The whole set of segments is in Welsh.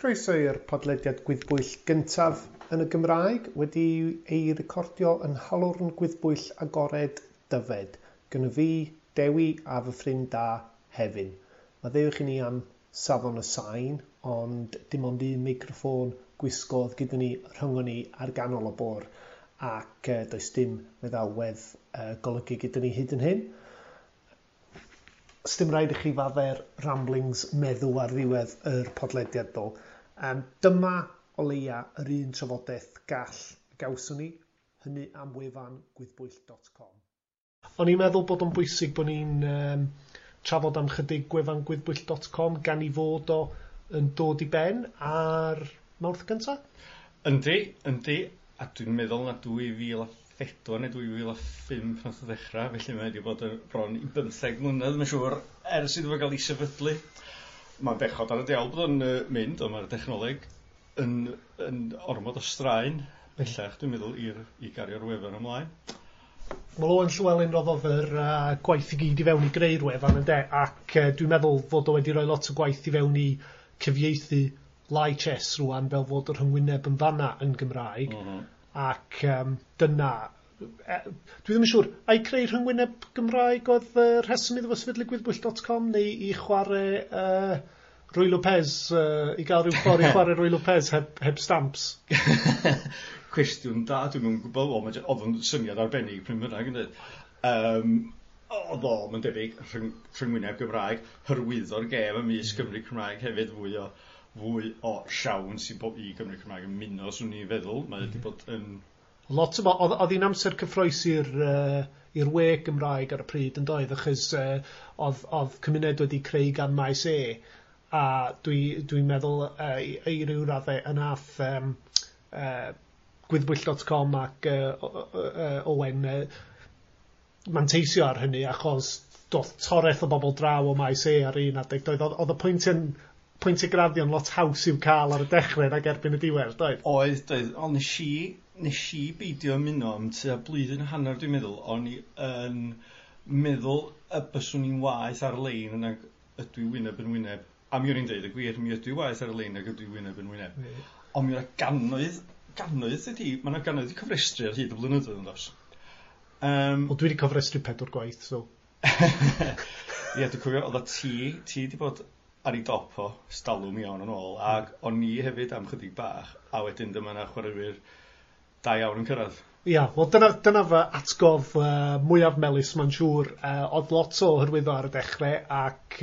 Croeso i'r podlediad gwyddbwyll gyntaf yn y Gymraeg wedi ei recordio yn Nhalwrn Gwyddbwyll Agored Dyfed. Gyda fi, Dewi a fy ffrind da, Hefin. Maddeuwch i ni am safon y sain, ond dim ond un meicroffôn gwisgodd gyda ni rhyngon ni ar ganol y bwr ac does dim meddalwedd golygu gyda ni hyd yn hyn. Sdim rhaid i chi fadde'r ramblings meddw ar ddiwedd yr podlediad ddo. Dyma o leia yr un trafodaeth gall gawson ni, hynny am wefan gwyddbwyll.com. O'n i'n meddwl bod o'n bwysig bod ni'n trafod am chydig gwefan gwyddbwyll.com gan i fod o yn dod i ben ar Mawrth gynta? Yndi, yndi, a dwi'n meddwl na 2004 neu 2005 nath o ddechrau, felly mae wedi bod yn bron i 15 mlynedd, mae'n siŵr, ers iddo fo gael ei sefydlu. Mae'n bechod ar y diawl bod o'n mynd, ond mae'r dechnoleg yn ormod o straen bellach, dwi'n meddwl, i gario'r wefan ymlaen. Wel, Owen Llywelyn roddodd yr gwaith i gyd i fewn i greu'r wefan, ynde, ac dwi'n meddwl fod o wedi rhoi lot o gwaith i fewn i cyfieithu Lichess rwan fel fod y rhyngwyneb yn fanna yn Gymraeg. Ac dyna, dwi ddim yn siŵr, ai creu rhyngwyneb Gymraeg oedd y rheswm iddo fo sefydlu gwyddbwyll.com neu i chwarae Ruy Lopez, i gael rhyw ffordd i chwarae Ruy Lopez heb stamps? Cwestiwn da, dwi'm yn gwybod. Wel, oedd o'n syniad arbennig pryd bynnag, ynddo? Oedd o, mae'n debyg, rhyngwyneb Gymraeg, hyrwyddo'r gêm ymysg Gymry Cymraeg hefyd, fwy o siawns i Gymry Cymraeg ymuno, swn i'n feddwl. Mae wedi bod yn Lot o, oedd hi'n amser cyffrous i'r we Gymraeg ar y pryd yn doedd, achos oedd cymuned wedi creu gan Maes E, a dwi meddwl i ryw raddau yn ath gwyddbwyll.com ac Owen manteisio ar hynny, achos doth toreth o bobl draw o Maes E ar un adeg. Doedd, oedd y pwyntiau graddio'n lot haws i'w cael ar y dechrau nag erbyn y diwedd, doedd? Oedd, doedd, ond nes i beidio ymuno am tua blwyddyn a hanner, dwi'n meddwl. O'n i yn meddwl y byswn i'n waeth ar-lein nag ydw i wyneb yn wyneb. A mi o'n i'n deud y gwir, mi ydw i waeth ar-lein nag ydw i wyneb yn wyneb. Ond mi oedd gannoedd, gannoedd ydi, mae yna gannoedd i cofrestru ar hyd y blynyddoedd yn does. Wel, dwi wedi cofrestru pedwar gwaith, so. Ie, dwi'n cofio, oedd ti wedi bod ar ei dop o stalwm iawn yn ôl, ac o'n i hefyd am chydig bach, a wedyn dyma 'na chwaraewyr da iawn yn cyrraedd. Ia, wel dyna fy atgof mwyaf melys, mae'n siŵr. Oedd lot o hyrwyddo ar y dechrau ac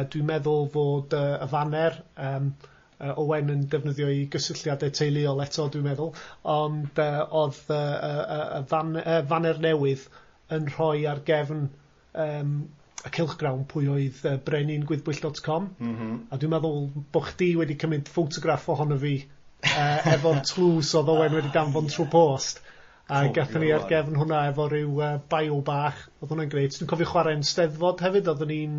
dwi'n meddwl fod y faner, Owen yn defnyddio i gysylltiadau teuluol eto, dwi'n meddwl, ond oedd y faner newydd yn rhoi ar gefn y cylchgrawn pwy oedd brenin gwyddbwyll.com. A dwi'n meddwl bod chdi wedi cymryd ffotograff ohono fi efo'r tlws oedd Owen wedi danfon trwy post. A gathon ni ar gefn hwnna efo rhyw bio bach. Oedd hwnna'n grêt. Dwi'n cofio chwarae'n Steddfod hefyd. Oedden ni'n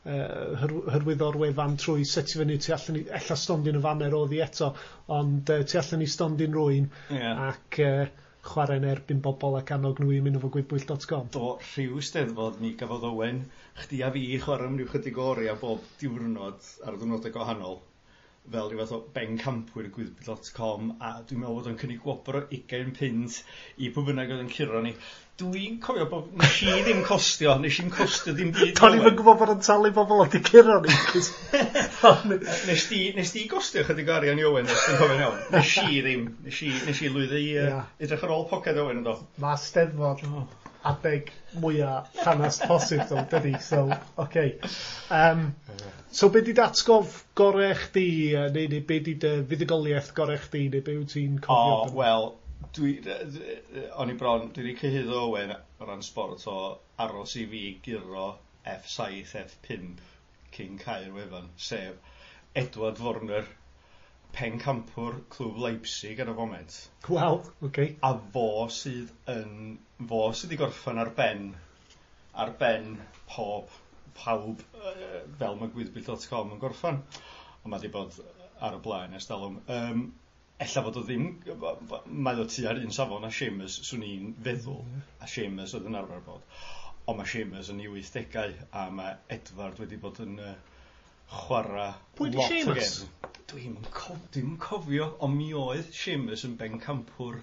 hyrwyddo'r wefan trwy setio fyny tu allan i, ella stondin y faner oedd hi eto, ond tu allan i stondin rwy'n ac chwarae'n erbyn bobl ac annog nhw i ymuno fo gwyddbwyll.com. Do, rhyw steddfod mi gafodd Owen, chdi a fi chwarae am ryw chydig o oriau bob diwrnod ar ddiwrnodau gwahanol, fel rhyw fath o bencampwyr gwyddbwyll.com, a dwi'n meddwl bod o'n cynnig gwobr o 20 punt i pwy bynnag oedd yn curo ni. Dwi'n cofio bod nes i ddim costio, nes i'n costio ddim byd. Do'n i'm yn gwybod bod o'n talu bobl oedd i curo ni. Nes di gostio chydig o arian i Owen, os dwi'n cofio'n iawn? Nes i ddim. Nes i lwyddo i edrych ar ôl poced Owen yn do. Mae Steddfod adeg mwyaf llanast posib, ddo, dydy. So, okay. So, be di dy atgof gorau chdi, neu be di dy fuddugoliaeth gorau chdi, neu be wyt ti'n cofio? O, wel, o'n i bron, dwi wedi cyhuddo Owen o ran sport o aros i fi guro F7, F5 cyn cau'r wefan, sef Edward Warner, pencampwr clwb Leipzig ar y foment. Wel, okay. A fo sydd wedi gorffen ar ben pawb fel mae gwyddbwyll.com yn gorffen. Ond mae wedi bod ar y blaen ers talwm. Ella fod o ddim, mae o tua'r un safon a Seamus, swn i'n feddwl, a Seamus oedd yn arfer bod. Ond mae Seamus yn ei 80au, a mae Edward wedi bod yn chwarae Pwy 'di lot o Seamus? gem. Dwi'm yn dwi'm yn cofio, ond mi oedd Seamus yn bencampwr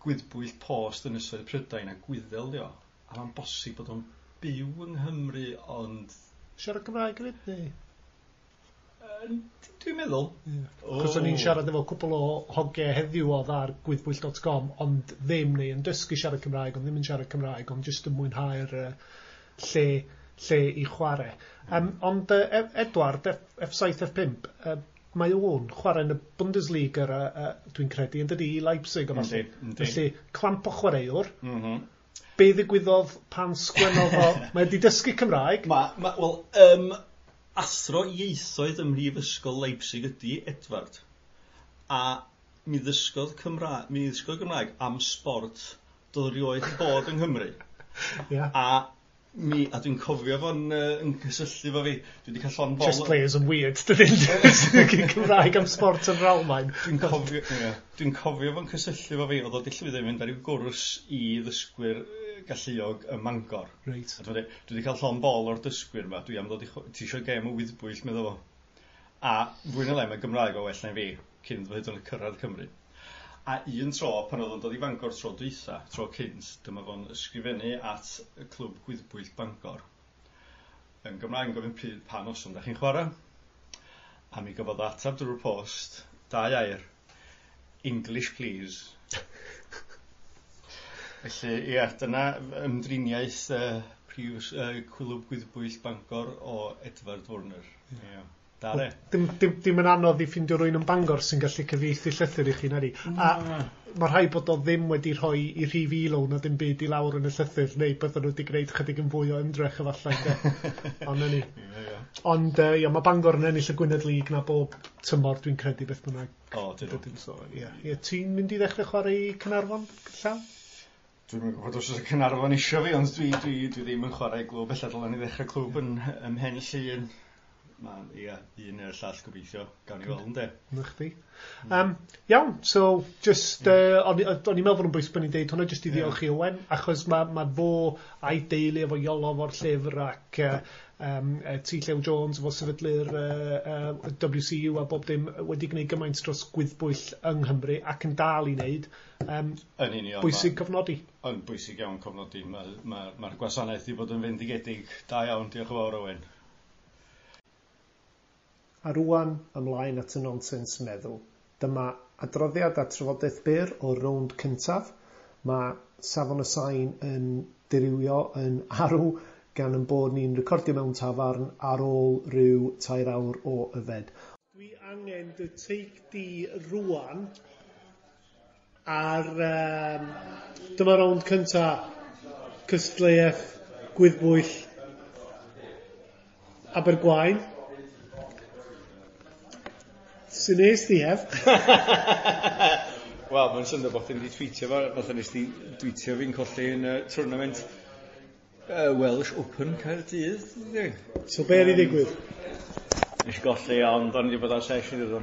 gwyddbwyll post Ynysoedd Prydain a Gwyddel dio. A mae'n bosib bod o'n byw yng Nghymru, ond Siarad Cymraeg hefyd, neu? Dwi'n meddwl. Yeah. Cos o'n i'n siarad efo cwpl o hogiau heddiw oedd ar gwyddbwyll.com, ond ddim neu yn dysgu siarad Cymraeg, ond ddim yn siarad Cymraeg, ond jyst yn mwynhau'r lle i chwarae. Ond Edward, F7, F5, mae o'n chwarae yn y Bundesliga, dwi'n credu, yn dydi, i Leipzig o falle. Yndi. Felly, clamp o chwaraewr. Be ddigwyddodd pan sgwennodd o? Mae wedi dysgu Cymraeg. Wel, athro ieithoedd ym Mhrifysgol Leipzig ydy Edward. A mi ddysgodd Gymraeg am sbort doedd erioed 'di bod yng Nghymru. A dwi'n cofio fo'n yn cysylltu efo fi. Dwi wedi cael llond bol Chess players yn weird, dydyn? Cymraeg am sbort yn yr Almaen. Dwi'n cofio, ie. Dwi'n cofio fo'n cysylltu efo fi, oedd o 'di llwyddo i fynd ar ryw gwrs i ddysgwyr galluog ym Mangor. A dwi'n dweud, dwi wedi cael llond bol o'r dysgwyr yma, dwi am ddod i ti isio gêm o wyddbwyll, medda fo. A fwy neu lai mae Gymraeg o well na fi, cyn iddo fo hyd yn oed cyrraedd Cymru. A un tro, pan oedd o'n dod i Fangor tro dwytha, tro cynt, dyma fo'n ysgrifennu at y clwb gwyddbwyll Bangor. Yn Gymraeg yn gofyn pryd pa noson da chi'n chwarae. A mi gafodd o ateb drwy'r post, 2 air, English please. Felly, ie, dyna ymdriniaeth prif clwb gwyddbwyll Bangor o Edward Werner. Ie. Da re. Dim yn anodd i ffindio rywun yn Bangor sy'n gallu cyfieithu llythyr i chi, nadi. A mae rhaid bod o ddim wedi rhoi i rhif ilo na dim byd i lawr yn y llythyr, neu bydden nhw wedi gwneud chydig yn fwy o ymdrech efallai, de. Ond na ni. Ond ia, mae Bangor yn ennill y Gwynedd League na bob tymor, dwi'n credu, beth bynnag. O, dyn nhw. Dydyn, so, ie. Ie, ti'n mynd i ddechrau chwarae i Caernarfon, llawn? Dwi'm yn gwybod os oes y Caernarfon isio fi, ond dwi ddim yn chwarae i glwb. Ella dylen ni ddechrau clwb ym Mhen Llŷn. Ma, ie, un neu'r llall gobeithio. Gawn ni weld, ynde? Na chdi. Iawn, so, just, o'n i'n meddwl bod yn bwysig bod ni'n deud hwnna, just i ddiolch i Owen, achos ma fo a'i deulu efo Iolo fo'r llyfr ac T. Llew Jones efo sefydlu'r WCU a bob dim wedi gwneud gymaint dros gwyddbwyll yng Nghymru ac yn dal i wneud. Yn union, Bwysig cofnodi. Yn bwysig iawn cofnodi. Mae'r gwasanaeth wedi bod yn fendigedig. Da iawn, diolch yn fawr, Owen. A rŵan ymlaen at y nonsens meddwl. Dyma adroddiad a trafodaeth byr o'r rownd cyntaf. Mae safon y sain yn dirywio yn arw gan ein bod ni'n recordio mewn tafarn ar ôl rhyw 3 awr o yfed. Dwi angen dy take di rŵan ar dyma rownd cynta cystadleuaeth gwyddbwyll Abergwaun. Sut nes di, Hef? Wel, mae'n syndod bod chdi'n di tweetio fo, fatha nes di tweetio fi'n colli yn y tournament Welsh Open Caerdydd, yndi? So be oedd i ddigwydd? Nes i golli, ond o'n i wedi bod ar session iddo.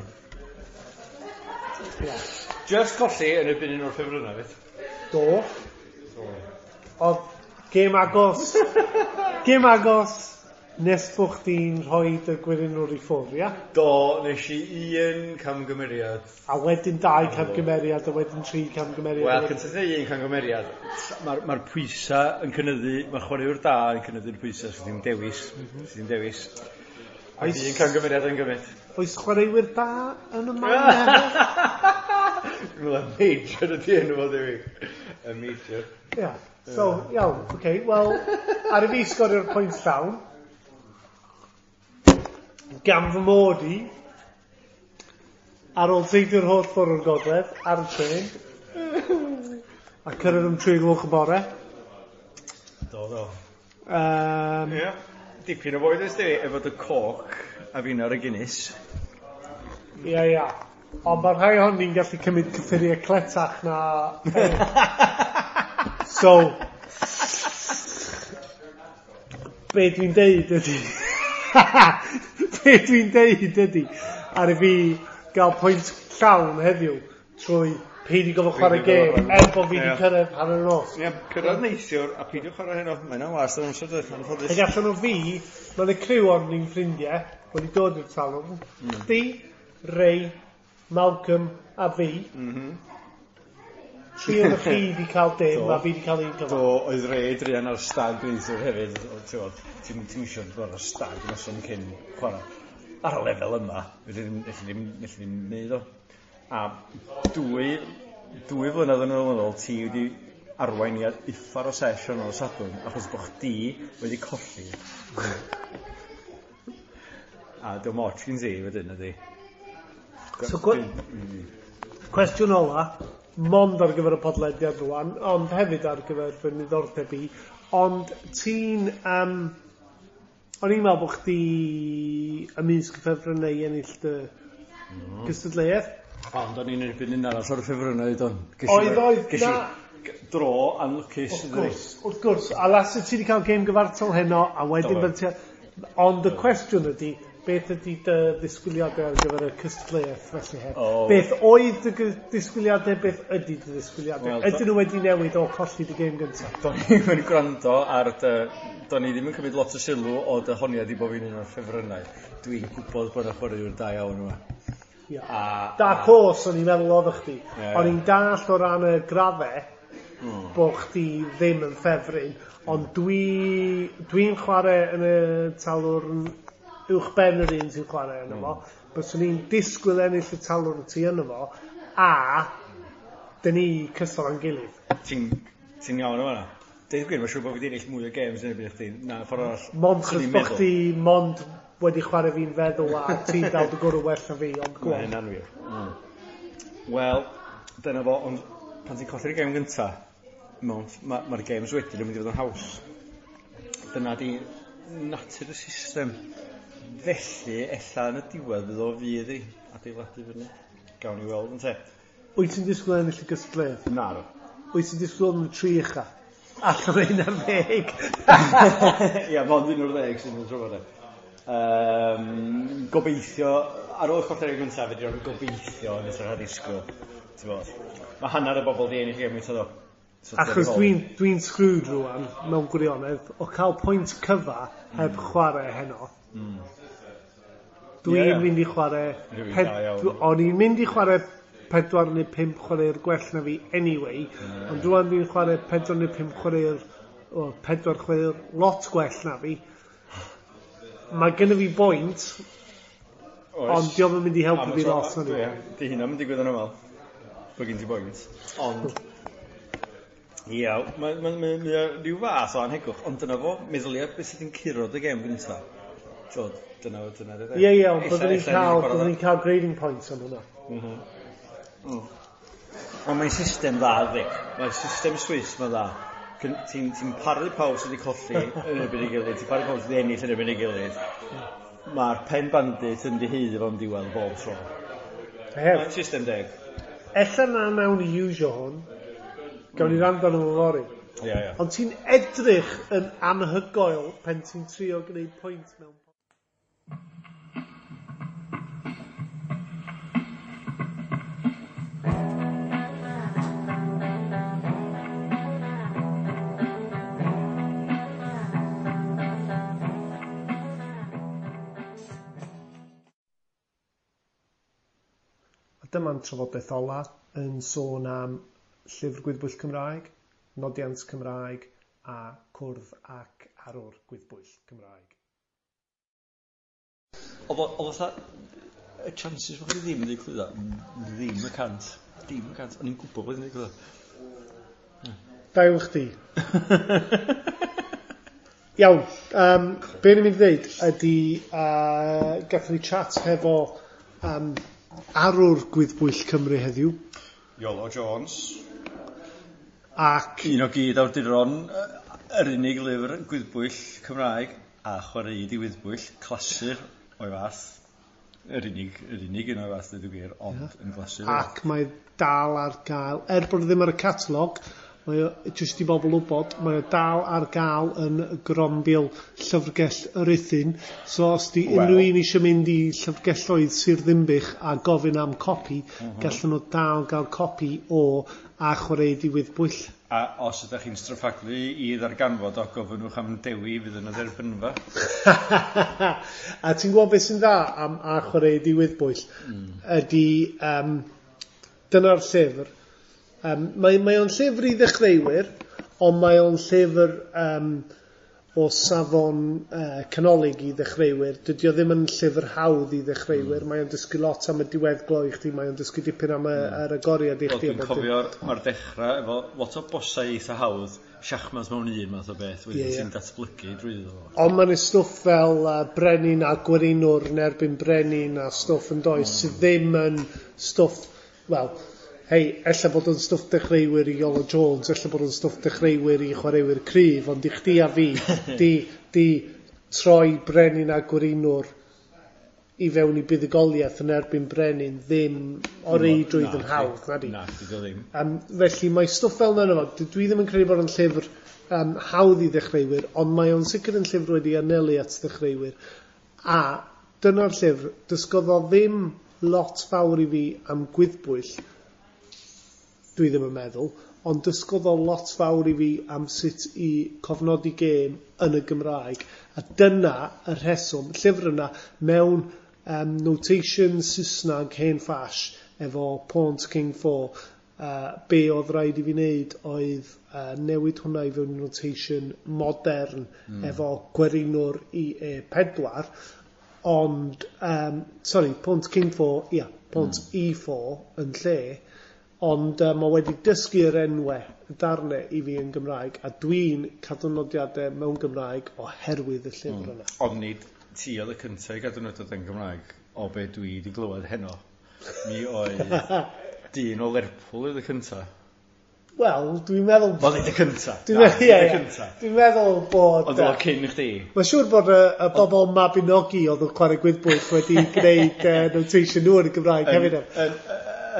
Just colli yn erbyn un o'r ffefrynnau, fydd? Do. Oedd gêm agos. Gêm agos. Nes bo chdi'n rhoi dy gwirionwr i ffwrdd, ia? Do, nes i un camgymeriad. A wedyn 2 camgymeriad, a wedyn 3 camgymeriad. Wel, cyntaf un camgymeriad. Mae'r pwysa yn cynyddu, mae'r chwaraewr da yn cynyddu'r pwysa, so ddim dewis. So ddim dewis. Ac un camgymeriad yn gymryd. Oes chwaraewyr da yn y man? Dwi'n meddwl major ydi enw fo, Dewi. Y major. Ia. So, iawn, oce. Wel, ar i fi sgorio'r pwynt llawn. Gan fy mod i, ar ôl teithio'r holl ffordd o'r gogledd, ar y trên, a cyrraedd am 3 gloch y bore. Do, do. Ie. Dipyn o fwyd ys di, efo dy coc a fi'n ar y Guinness. Ie, ie. Ond mae'r rhai ohon ni'n gallu cymryd cyffuriau cletach na... So, be dwi'n deud ydi... Be dwi'n deud ydi, ar i fi gael pwynt llawn heddiw trwy Peidio gofod chwarae gêm, er bod fi wedi cyrraedd hanner nos. Ie, cyrraedd neithiwr a peidio chwarae heno. Mae hynna'n was yn amser dweud, anffodus. Ac allan o fi, mae'n y criw o'n ni'n ffrindiau, wedi dod i'r talwrn. Chdi, Ray, Malcolm a fi. Tri o'n chi wedi cael dim, a fi wedi cael un cyfan. Do, oedd Ray druan ar stag neithiwr hefyd. Ti'n ti isio bod ar stag noson cyn chwarae. Ar y lefel yma, felly ddim neud o. A dwy flynedd yn ôl, ti wedi arwain i uffar o sesiwn o'r Sadwrn, achos bod chdi wedi colli. A diolch moch gyn ti wedyn, ydi. So, cwestiwn ola, mond ar gyfer y podlediad rwan, ond hefyd ar gyfer fy niddordeb i, ond ti'n... o'n i'n meddwl bod chdi ymysg y ffefrynnau i ennill dy gystadleuaeth. Ond o'n i'n erbyn un arall o'r ffefrynnau, don. Oedd, na. Dro anlwcus. Wrth gwrs. A las ti wedi cael gêm gyfartal heno, a wedyn Ond y cwestiwn ydy, beth ydy dy ddisgwyliadau ar gyfer y cystadleuaeth felly heb? Oh. Beth oedd dy ddisgwyliadau, beth ydy dy ddisgwyliadau? Well, ydyn nhw wedi newid o colli dy gêm gyntaf? Do'n i'm yn gwrando ar dy... Do'n i ddim yn cymryd lot o sylw o dy honiad i bod fi'n un o'r ffefrynnau. Dwi'n gwybod bod yna chwaraewr da iawn yma. Yeah. Dark horse o'n i'n meddwl oedd chdi. Yeah. O'n i'n dallt o ran y graddau bod chdi ddim yn ffefryn, ond dwi'n chwarae yn y talwrn uwch ben yr un sy'n chwarae yno fo, byswn i'n disgwyl ennill y talwrn ti yno fo, a dyn ni cystal â'n gilydd. Ti'n iawn o fan'na. Deud gwir, mae'n siŵr bod fi wedi ennill mwy o games yn erbyn chdi na ffordd arall. Mond chos bod chdi mond wedi chwarae fi'n feddwl a ti'n dal dy gwrw well na fi, ond go on. Mae hynna'n wir. Wel, dyna fo, ond pan ti'n colli'r gêm gynta, mae'r games wedyn yn mynd i fod yn haws. Dyna di natur y system. Felly, ella yn y diwedd fydd o fydd i adeiladu fyny. Gawn ni weld yn te. Wyt ti'n disgwyl ennill y gystadleuaeth? Na. Wyt ti'n disgwyl yn y tri ucha? Allan o 11. Ia, mond 11 sy'n mynd trwy fod. Gobeithio, ar ôl colli'r gêm gyntaf, fedri o'n gobeithio yn hytrach na disgwyl. Mae hanner y bobl di ennill y gêm gyntaf ddo. So, achos dwi'n screwed rwan, mewn gwirionedd, o cael pwynt cyfa heb chwarae heno. Dwi'n mynd i chwarae... O'n i'n mynd i chwarae 4 neu 5 chwarae'r gwell na fi anyway, ond rwan dwi'n chwarae 4 neu 5 chwarae'r... 4 chwarae'r lot gwell na fi. Mae genna fi boint, ond diolch yn mynd i helpu fi lot. Di hynna'n mynd i digwydd yn aml, bod gen ti boint. Ond... Ia, mae rhyw fath o anhegwch, ond dyna fo, meddylia beth sydd yn curo dy gêm gyntaf. Dyna dyna. Ie, ond byddwn ni'n cael grading points am hwnna. Ond mae'n system dda, ydi. Mae'r system Swiss mae'n dda. Ti'n paru pawb sydd wedi colli yn erbyn ei gilydd, ti'n paru pawb sydd wedi ennill yn erbyn ei gilydd. Mae'r pen bandit yn dihaeddu fo'n diwedd bob tro. Mae'n system deg. Ella na nawn ni iwsio hwn. Gawn ni rando arno fo fory. Ie. Ond ti'n edrych yn anhygoel pen ti'n trio gwneud pwynt mewn... A dyma'n trafodaeth ola yn sôn am Llyfr Gwyddbwyll Cymraeg, Nodiant Cymraeg a Cwrdd ac Arwr Gwyddbwyll Cymraeg. Oedd fatha, y chances bod chi ddim wedi clwyddo, ddim y cant. Dim y cant. O'n i'n gwybod bod ddim wedi clwyddo. Da iawn chdi. Iawn, be ni'n mynd i ddeud ydy, gathon ni chat hefo Arwr Gwyddbwyll Cymru heddiw. Iolo Jones. Ac un o gyd awduron yr unig lyfr gwyddbwyll Cymraeg a chwaraeid i wyddbwyll, clasur o'i fath. Yr unig un o'i fath, dweud y gwir, ond yn glasur. Ac mae dal ar gael, er bod ddim ar y catalog, Mae o, jyst i bobl wybod, mae o dal ar gael yn grombil Llyfrgell Rhuthun. So os di unrhyw un eisiau mynd i llyfrgelloedd Sir Ddinbych a gofyn am copi, gallan nhw dal gael copi o A Chwaraea Di Wyddbwyll. A os ydych chi'n stryffaglu i ddarganfod o, gofynnwch am Dewi fydd yn y dderbynfa. A ti'n gwybod beth sy'n dda am A Chwaraea Di Wyddbwyll? Ydy, dyna'r llyfr. Mae o'n llyfr i ddechreuwyr, ond mae o'n llyfr o safon canolig i ddechreuwyr. Dydy o ddim yn llyfr hawdd i ddechreuwyr. Mae o'n dysgu lot am y diweddglo i chdi, mae o'n dysgu dipyn am yr agoriad i chdi. Wel, dwi'n cofio'r, mae'r dechrau efo lot o bosau eitha hawdd, siachmas mewn un math o beth, wedyn ti'n datblygu drwyddo fo. Ond mae'n stwff fel brenin a gwerinwr yn erbyn brenin a stwff yn does, sydd ddim yn stwff, wel, hei, ella bod o'n stwff dechreuwyr i Iolo Jones, ella bod o'n stwff dechreuwyr i chwaraewyr cryf, ond i chdi a fi, di troi brenin a gwerinwr i fewn i buddugoliaeth yn erbyn brenin ddim o reidrwydd yn hawdd, na di? Na, di ddim. Felly mae stwff fel yna efo, dwi ddim yn credu bod o'n llyfr hawdd i ddechreuwyr, ond mae o'n sicr yn llyfr wedi anelu at ddechreuwyr. A dyna'r llyfr, dysgodd o ddim lot fawr i fi am gwyddbwyll, dwi ddim yn meddwl, ond dysgodd o lot fawr i fi am sut i cofnodi gêm yn y Gymraeg. A dyna y rheswm, llyfr yna mewn notation Saesneg hen ffash efo Pawn to King 4, be oedd rhaid i fi wneud oedd newid hwnna i fewn i notation modern efo gwerinwr i E4, ond, sorry, Pawn to King 4, ia, Pawn to E4 yn lle, ond mae wedi dysgu'r enwau y darnau i fi yn Gymraeg, a dwi'n cadw nodiadau mewn Gymraeg oherwydd y llyfr yna. Ond nid ti oedd y cyntaf i gadw nodiadau yn Gymraeg o be dwi wedi glywed heno. Mi oedd dyn o Lerpwl oedd y cyntaf. Wel, dwi'n meddwl... Wel, nid y cyntaf. Dwi'n meddwl bod... Ond oedd o cyn i chdi. Mae'n siŵr bod y bobl Mabinogi oedd yn chwarae gwyddbwyll wedi gwneud notation nhw yn y Gymraeg hefyd.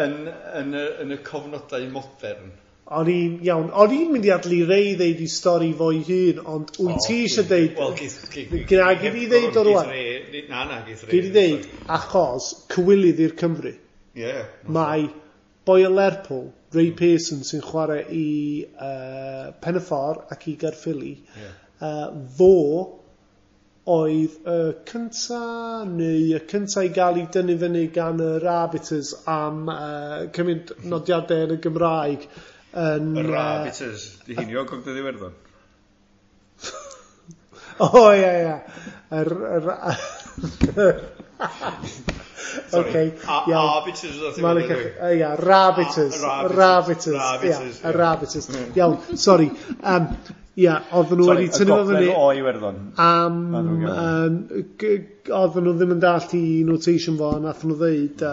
Yn y cofnodau modern. O'n i'n iawn. O'n i'n mynd i adlu Ray ddeud i stori fo'i hun, ond wyt ti eisiau deud... Wel, Gna, gyd i ddeud o rwan. Na, na, geith Ray. Gyd i ddeud, achos cywilydd i'r Cymru. Ie. Mae boi o Lerpwl, Ray Pearson, sy'n chwarae i Pen y Ffordd ac i Gaerffili, fo oedd y cynta neu y cynta i gael ei dynnu fyny gan yr arbiters am cymryd nodiadau yn y Gymraeg. Yn, Yr arbiters, di hynny o Gogledd Iwerddon? O, ie, ie. Sorry. Iawn. Arbiters oedd ti'n Ia, Rabiters. Rabiters. Ia, Rabiters. Iawn, sorry. Ia, oedden nhw wedi tynnu fo fyny. o Iwerddon. Am, oedden nhw ddim yn dallt i notation fo, a nath nhw ddeud,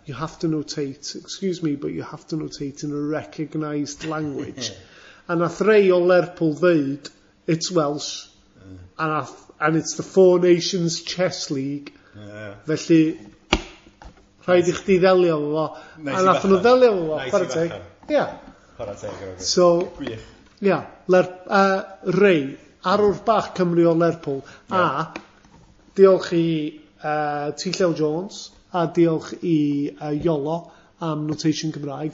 you have to notate, excuse me, but you have to notate in a recognised language. A nath Ray o Lerpwl ddeud, it's Welsh, and it's the Four Nations Chess League. Felly, rhaid i chdi ddelio efo fo. Nice A i nath nhw fachan. ddelio efo fo, Nice i chwarae teg. fachan. Ia. Chwarae teg. Roger. So, Gwych. ia, Ray, arwr bach Cymru o Lerpwl, a diolch i T Llew Jones, a diolch i Iolo am Notation Cymraeg.